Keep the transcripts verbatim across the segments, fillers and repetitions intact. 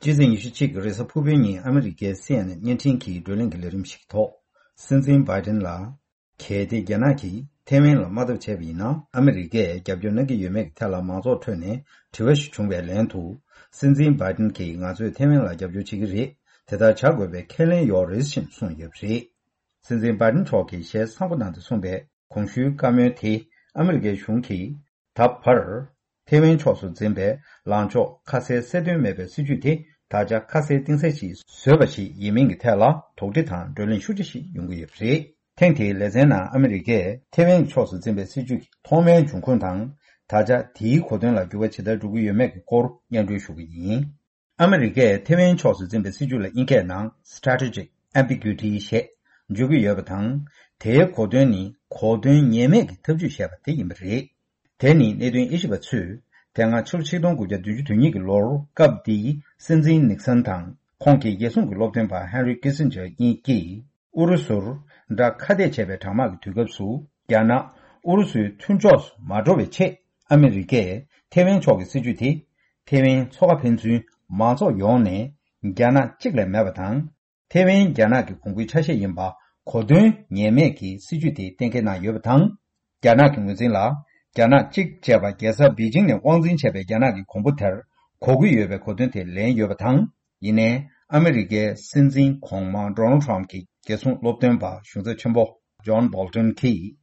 ཕྱི་ཚེས་ཉི་ཤུ་གཅིག་གི་རེས་གཟའ་ཕུར་བུའི་ཉིན་ཨ་མི་རི་ཀའི་སི་ཨེན་ཨེན་བརྙན་འཕྲིན་གྱི་བགྲོ་གླེང་གི་ལས་རིམ་ཞིག་གི་ཐོག་སྲིད་འཛིན་བྷའི་ཏིན་ལ། གལ་ཏེ་རྒྱ་ནག་གིས་ཐེ་ཝན་ལ་དམག་འཐབ་བྱས་པ་ཡིན་ན། ཨ་མི་རི་ཀས་རྒྱབ་སྐྱོར་གནང་གི་ཡོད་མེད་ཀྱི་ཐད་ལ་མང་ཚོགས་ཁྲོད་ནས་དྲི་བ་ཞིག་བྱུང་བའི་ལན་དུ། སྲིད་འཛིན་བྷའི་ཏིན་གྱིས་ང་ཚོས་ཐེ་ཝན་ལ་རྒྱབ་སྐྱོར་བྱེད་ཀྱི་རེད། དེ་ལྟར་བྱ་དགོས་པའི་ཁས་ལེན་ཡོད་རེད་ཅེས་གསུངས་ཡོད་པ་རེད། སྲིད་འཛིན་བྷའི་ཏིན་མཆོག་གིས་ཞལ་གསང་པོ་གནང་སྟེ་གསུངས་པའི་གོང་ཞུའི་བཀའ་མོལ་དེ། ཨ་མི་རི་ཀའི་གཞུང་གིས་ད་བར་ཐེ་ཝན་ཕྱོགས་སུ་འཛིན་པའི་ལངས་ཕྱོགས་ཁ་གསལ་གསལ་སྟོན་མེད་པའི་སྲིད་ཇུས་དེ་ད་ཆ་ཁ་གསལ་གཏིང་གསལ་ཞིག་བཟོས་པ་ཞིག་ཡིན་མིན་གྱི་ཐད་ལ་དོགས་འདྲི་དང་བགྲོ་གླེང་ཤུགས་ཆེ་ཞིག་ཡོང་གི་ཡོད་པ་རེད། ཐེངས་དེའི་ལེ་ཚན་ནང་ཨ་མི་རི་ཀས་ཐེ་ཝན་གྱི་ཕྱོགས་སུ་འཛིན་པའི་སྲིད་ཇུས་ཀྱི་ཐོག་མའི་འབྱུང་ཁུངས་དང་། ད་ཆ་དེའི་གོ་དོན་ལ་འགྱུར་བ་ཇི་ལྟར་འགྲོ་གི་ཡོད་མེད་ཀྱི་སྐོར་སྙན་སྒྲོན་ཞུ་གི་ཡིན། ཨ་མི་རི་ཀས་ཐེ་ཝན་ཕྱོགས་སུ་འཛིན་པའི་སྲིད་ཇུས་ལ་དབྱིན་སྐད་ནང་Strategic Ambiguity ཞེས་བརྗོད་ཀྱི་ཡོད་པ་དང་། དེའི་གོ་དོན་ནི་གོ་དོན་ངེས་མེད་ཀྱི་ཐབས་ཇུས་ཞེས་པ་དེ་ཡིན་པ་རེད། དེ་ནི་གནད་དོན་དབྱེ་ཞིབ་པ་ཚོས་དེ་སྔ་ཕྱི་ལོ་ཆིག་སྟོང་དགུ་བརྒྱ་བདུན་ཅུ་དོན་གཉིས་ཀྱི་ལོར་སྐབས་དེའི་སྲིད་འཛིན་ནིག་སན་དང་ཁོང་གི་རྒྱལ་སྲུང་གི་སློབ་སྟོན་པ་ཧན་རི་ཀི་སིན་ཇར་གཉིས་ཀྱིས། ཨུ་རུ་སུར་དགྲ་ཁ་གཏད་བྱས་པའི་གྲང་དམག་གི་དུས་སྐབས་སུ། རྒྱ་ནག་ཨུ་རུ་སུའི་མཐུན་ཕྱོགས་སུ་མ་འགྲོ་བའི་ཆེད། ཨ་མི་རི་ཀས་ཐེ་ཝན་ཕྱོགས་ཀྱི་སྲིད་ཇུས་དེ། ཐེ་ཝན་མཚོ་ཁ་ཕན་ཚུན་མང་ཚོགས་ཡོངས་ནས་རྒྱ་ནག་གཅིག་ལས་མེད་པ་དང་། ཐེ་ཝན་རྒྱ་ནག་གི་གོང་བུའི་ཆ་ཤས་ཡིན་པ་གོ་དོན་ངེས་མེད་ཀྱི་སྲིད་ཇུས་དེ་གཏན་འཁེལ་གནང་ཡོད་པ་དང་། རྒྱ་ནག་གི་ངོས་འཛིན་ལ། རྒྱ་ནག་གཅིག་ཅེས་པ་རྒྱལ་ས་པེ་ཅིང་ནས་དབང་འཛིན་བྱས་པའི་རྒྱ་ནག་གི་གོང་བུ་དེར་གོ་གི་ཡོད་པའི་གོ་དོན་དེ་ལེན་ཡོད་པ་དང་། ཡིན་ནའི། ཨ་མི་རི་ཀའི་སྲིད་འཛིན་གོང་མ་ཌོ་ནལ་ཊམ་གྱི་རྒྱལ་སྲུང་སློབ་སྟོན་པ་གཞུང་ཚབ་ཆེན་པོ་ཇོན་བོལ་ཊོན་གྱིས།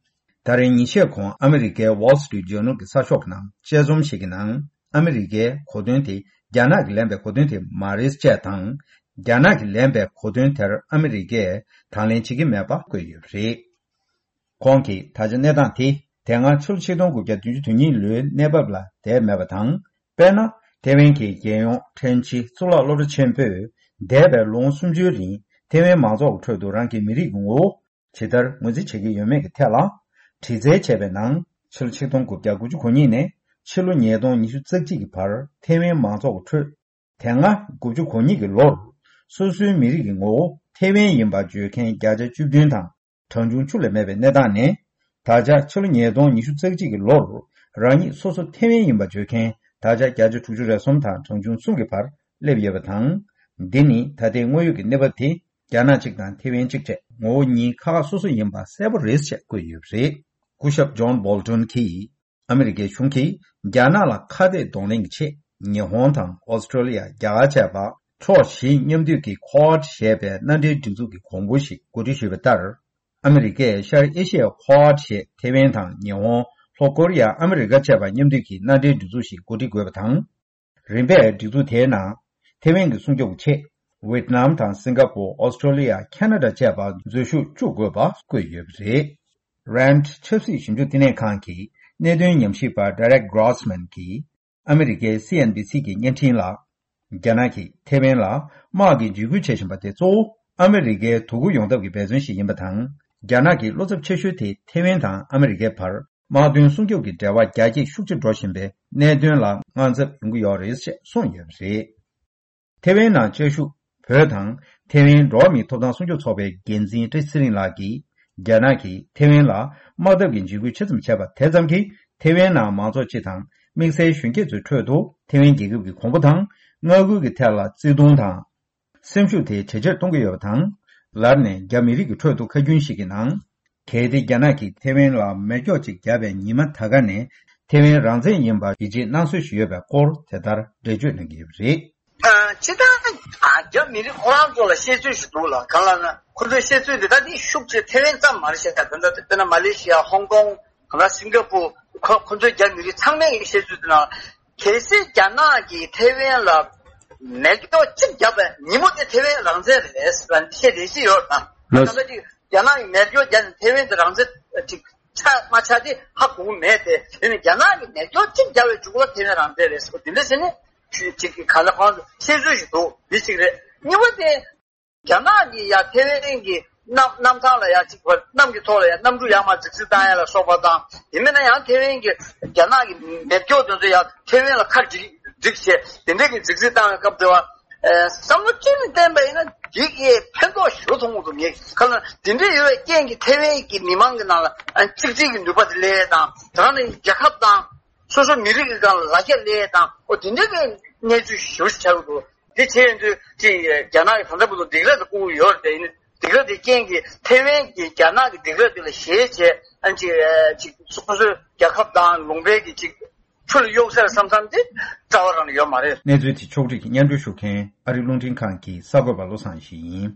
ད་རེས་ཉིན་ཤས་གོང་ཨ་མི་རི་ཀའི་Wall Street Journal གྱི་གསར་ཤོག་གི་ནང་དཔྱད་རྩོམ་ཞིག་གི་ནང་། ཨ་མི་རི་ཀའི་གོ་དོན་དེ་རྒྱ་ནག་གིས་ལེན་པའི་གོ་དོན་དེ་མ་རེད་ཅེས་དང་། རྒྱ་ནག་གིས་ལེན་པའི་གོ་དོན་དེར་ཨ་མི་རི་ཀས་དང་ལེན་བྱེད་ཀྱི་མེད་པ་བཀོད་ཡོད་པ་རེད། ཁོང་གིས་ད་ཆ་གནས་སྟངས་དེ་དེ་སྔ་ཕྱི་ལོ་ཆིག་སྟོང་དགུ་བརྒྱ་བདུན་ཅུ་དོན་གཉིས་ལོའི་གནས་བབ་ལ་བསྡད་མེད་པ་དང་། དཔེར་ན། ཐེ་ཝན་གྱི་རྒྱལ་ཡོངས་ཕྲན་སྤྱི་གཙུག་ལག་སློབ་གྲྭ་ཆེན་པོས་འདས་པའི་ལོ་ངོ་སུམ་ཅུའི་རིང་ཐེ་ཝན་མང་ཚོགས་ཀྱི་ཁྲོད་དུ་རང་གི་མི་རིགས་ཀྱི་ངོ་བོ་ཇི་ལྟར་ངོས་འཛིན་བྱེད་ཀྱི་ཡོད་མེད་ཀྱི་ཐད་ལ་དྲི་རྩད་བྱས་པའི་ནང་། ཕྱི་ལོ་ཆིག་སྟོང་དགུ་བརྒྱ་དགུ་ཅུ་གོ་གཉིས་ནས་ཕྱི་ལོ་ཉིས་སྟོང་ཉི་ཤུ་རྩ་གཅིག་གི་བར་ཐེ་ཝན་མང་ཚོགས་ཀྱི་ཁྲོད། དེ་སྔ་དགུ་བཅུ་གོ་གཉིས་ཀྱི་ལོར་སོ་སོའི་མི་རིགས་ཀྱི་ངོ་བོ་ཐེ་ཝན་ཡིན་པ་བརྗོད་མཁན་བརྒྱ་ཆ་བཅུ་བདུན་དང་གྲངས་ཆུང་བཅུ་ལས་མེད་པའི་གནས་སྟངས་ནས། ད་ཆ་ཕྱི་ལོ་ཉིས་སྟོང་ཉི་ཤུ་རྩ་གཅིག་གི་ལོར་རང་ཉིད་སོ་སོ་ཐེ་ཝན་ཡིན་པ་བརྗོད་མཁན་ད་ཆ་བརྒྱ་ཆ་དྲུག་ཅུ་རེ་གསུམ་དང་གྲངས་ཆུང་གསུམ་གྱི་བར་སླེབས་ཡོད་པ་དང་། འདི་ནི་ད་ལྟའི་དངོས་ཡོད་ཀྱི་གནས་བབ་དེ་རྒྱ་ནག་གཅིག་དང་ཐེ་ཝན་གཅིག་བཅས་ངོ་བོ་གཉིས་ཁ་ཁ་སོ་སོ་ཡིན་པ་གསལ་པོ་རེད་ཅེས་བཀོད་ཡོད་པ་རེད། སྐུ་ཞབས་ཇོན་བོལ་ཊོན་གྱིས། ཨ་མི་རི་ཀའི་གཞུང་གིས་རྒྱ་ནག་ལ་ཁ་གཏད་གདོང་ལེན་གྱི་ཆེད། ཉི་ཧོང་དང་ཨོ་སི་ཀྲོ་ལི་ཡ། རྒྱ་གར་བཅས་པ་ཕྱོགས་བཞི་མཉམ་འདུས་ཀྱི་ཁོ་ཝཱཌ་ཞེས་པའི་མནའ་འབྲེལ་སྒྲིག་འཛུགས་ཀྱི་གོང་བུ་ཞིག་གོ་སྒྲིག་ཞུས་པ་ལྟར། ཨ་མི་རི་ཀས་ཤར་ཨེ་ཤི་ཡའི་ཁོ་ཝཱཌ་ཞེས་ཐེ་ཝན་དང་ཉི་ཧོང་། ལྷོ་ཀོ་རི་ཡ། ཨ་མི་རི་ཀ་བཅས་པ་མཉམ་འདུས་ཀྱི་མནའ་འབྲེལ་སྒྲིག་འཛུགས་ཤིག་གོ་སྒྲིག་དགོས་པ་དང་། རིམ་པས་སྒྲིག་འཛུགས་དེའི་ནང་ཐེ་ཝན་གྱི་སྲུང་སྐྱོབ་ཀྱི་ཆེད། ཝེད་ནམ་དང་སིང་ག་པོ། ཨོ་སི་ཀྲོ་ལི་ཡ། ཁ་ན་ཌ་བཅས་པ་འཛུལ་ཞུགས་བཅུག་དགོས་པ་བཀོད་ཡོད་པ་རེད། རན་ཆབ་སྲིད་ཞིབ་འཇུག་བསྟི་གནས་ཁང་གི་གནད་དོན་ཉམས་ཞིབ་པ་Derek Grossman གྱིས་ཨ་མི་རི་ཀའི་སི་ཨེན་བྷི་སི་གི་བརྙན་འཕྲིན་ལ། རྒྱ་ནག་གིས་ཐེ་ཝན་ལ་དམག་གི་འཇིགས་སྐུལ་བྱེད་བཞིན་པ་དེ་གཙོ་བོ་ཨ་མི་རི་ཀའི་དོ་ཁུར་ཡོང་ཐབས་ཀྱི་འབད་བརྩོན་ཞིག་ཡིན་པ་དང་། རྒྱ་ནག་གི་བློ་འཚབ་ཆེ་ཤོས་དེ་ཐེ་ཝན་དང་ཨ་མི་རི་ཀའི་བར། དམག་དོན་སྲུང་སྐྱོབ་ཀྱི་འབྲེལ་བ་རྒྱ་སྐྱེད་ཤུགས་ཆེ་འགྲོ་བཞིན་པའི་གནད་དོན་ལ་དངངས་འཚབ་ཡོང་གི་ཡོད་རེད་ཅེས་གསུངས་ཡོད་པ་རེད། ཐེ་ཝན་ནང་བཅའ་བཞུགས་བོད་དང་ཐེ་ཝན་འགྲོ་བ་མིའི་ཐོབ་ཐང་སྲུང་སྐྱོབ་ཚོགས་པའི་འགན་འཛིན་བཀྲ་ཤིས་ཚེ་རིང་ལགས་ཀྱིས། རྒྱ་ནག་གིས་ཐེ་ཝན་ལ་དམག་འཐབ་ཀྱི་འཇིགས་སྐུལ་ཆེ་ཙམ་བྱས་པ་དེ་ཙམ་གྱིས་ཐེ་ཝན་ནང་མང་ཚོགས་སྤྱི་དང་དམིགས་བསལ་གཞོན་སྐྱེས་ཚོའི་ཁྲོད་དུ་ཐེ་ཝན་རྒྱལ་ཁབ་ཀྱི་གོང་བུ་དང་མངའ་ཁུལ་གྱི་ཐད་ལ་བརྩེ་དུང་དང་། སེམས་ཤུགས་དེ་ཇེ་ཆེར་གཏོང་གི་ཡོད་པ་དང་། ལར་ནས་རྒྱ་མི་རིགས་ཀྱི་ཁྲོད་དུ་ཁ་རྒྱུན་ཞིག་གི་ནང་། གལ་ཏེ་རྒྱ་ནག་གིས་ཐེ་ཝན་ལ་མེ་སྒྱོགས་གཅིག་བརྒྱབ་པའི་ཉི་མ་ད་ག་ནས་ཐེ་ཝན་རང་བཙན་ཡིན་པར་ཡིད་ཆེས་གནང་སྲོལ་ཞིག་ཡོད་པའི་སྐོར་དེ་ལྟར་འགྲེལ་བརྗོད་གནང་གི་ཡོད་པ་རེད། ཨ། སྤྱིར་བཏང་ཨ། རྒྱ་མི་རིགས་ཁོ་རང་ཚོ་ལ་བཤད་ཚུལ་ཞིག་འདུག་ལ། གང་ལབ་ན་ཁོ་ཚོའི་བཤད་ཚུལ་འདི་ད་ནི་ཤུགས་ཆེ་ཐེ་ཝན་ཙམ་མ་རེད་ཤག་ད་ལྟ་དཔེར་ན་མ་ལེ་ཤི་ཡ། ཧོང་ཀོང་། གང་ལ་སིང་ག་པུར། ཁོ་ཁོ་ཚོའི་རྒྱ་མི་རིགས་ཚང་མས་ཀྱི་བཤད་ཚུལ་དེ་ན། གལ་སྲིད་རྒྱ་ནག་གིས་ཐེ་ཝན་ལ་མེ་སྒྱོགས་གཅིག་བརྒྱབ་པའི་ཉིན་མོ་དེ་ཐེ་ཝན་རང་བཙན་རེད་ཟེར་བ་བཤད་བསྡད་ཀྱི་ཡོད་ན། ལགས། ད་ལྟ་ཅིག་རྒྱ་ནག་གིས་མེ་སྒྱོགས་བརྒྱབ་ནས་ཐེ་ཝན་དེ་རང་བཙན་ཅིག་ཆགས་མ་ཆགས་དེ་ཧ་གོ་གི་མེད་དེ། དེ་ནི་རྒྱ་ནག་གིས་མེ་སྒྱོགས་གཅིག་བརྒྱབ་པའི་མཇུག་ལ་ཐེ་ཝན་རང་བཙན་རེད་ཟེར་བ་དེ་འདྲ་བྱས་ནས་ཅིག་གི་ག་ལ་གང་བཤད་ཚུལ་ཞིག་འདུག་འདི་གཅིག་རེད། གཉིས་པ་དེ། རྒྱ་ནག་གིས་ཡ་ཐེ་ཝན་གྱི་གནམ་གནམ་ཐང་ལ་ཡ་གཅིག་བར་གནམ་གྱི་ཐོག་ལ་ཡ་གནམ་གྲུ་ཡར་མར་རྫིག་རྫིག་བཏང་ཡ་ལ་སོགས་པ་དང་། དེ་མིན་ན་ཡང་ཐེ་ཝན་གྱི་རྒྱ་ནག་གི་མེ་སྒྱོགས་དེ་ཚོ་ཡ་ཐེ་ཝན་ལ་ཁ་སྒྲིག་སྒྲིག་བྱས་དེ་འདྲས་ཀྱི་རྫིག་རྫིག་བཏང་བའི་སྐབས་དེ་བ། ཨེ། བསམ་བློ་ཅི་ནས་བཏོན་པ་ཡིན་ན་འདི་གའི་ཕན་ཐོགས་ཞེ་པོ་མཐོང་གི་འདུག་ངས་ག་ལ་དེ་འདྲས་ཡོད་པའི་རྐྱེན་གྱིས་ཐེ་ཝན་གྱི་མི་མང་གི་ནང་ལ་ཨ་གཅིག་སྒྲིལ་གྱི་ནུས་པ་དེ་སླེབས་དང་། དེ་ནས་རྒྱལ་ཁབ་དང་སོ་སོ་མི་རིགས་ཀྱི་སྒང་ལ་ལ་རྒྱ་སླེབས་དང་། འོ་དེ་འདྲས་ཀྱི་གནས་ཚུལ་ཞེ་པོ་ཞིག་ཆགས་ཀྱི་འདུག་དེ་བྱས་ཡིན་དུས་ཅིག་རྒྱ་ནག་གིས་ད་ལྟ་བར་དུ་སྡིགས་ར་དེ་བསྐུལ་གྱི་ཡོད་རེད་དེ། ཡིན་ནའི་སྡིགས་ར་དེ་རྐྱེན་གྱིས་ཐེ་ཝན་གྱིས་རྒྱ་ནག་གི་སྡིགས་ར་དེ་ལ་ཞེད་བྱས་ཨ་ཅིག་ཅིག་སོ་སོའི་རྒྱལ་ཁབ་དང་ལུང་པའི་གི་ཅིག་ཆུ་ལ་གཡུག་ས་རེད་བསམ་བསམ་དེ་རྩ་བ་རང་ནས་ཡོད་མ་རེད། གནས་ཚུལ་དེ་ཕྱོགས་སྒྲིག་གིས་སྙན་སྒྲོན་ཞུ་མཁན་ཨ་རི་རླུང་འཕྲིན་ཁང་གི་གསར་འགོད་པ་བློ་བཟང་ཡེ་ཤེས་ཡིན།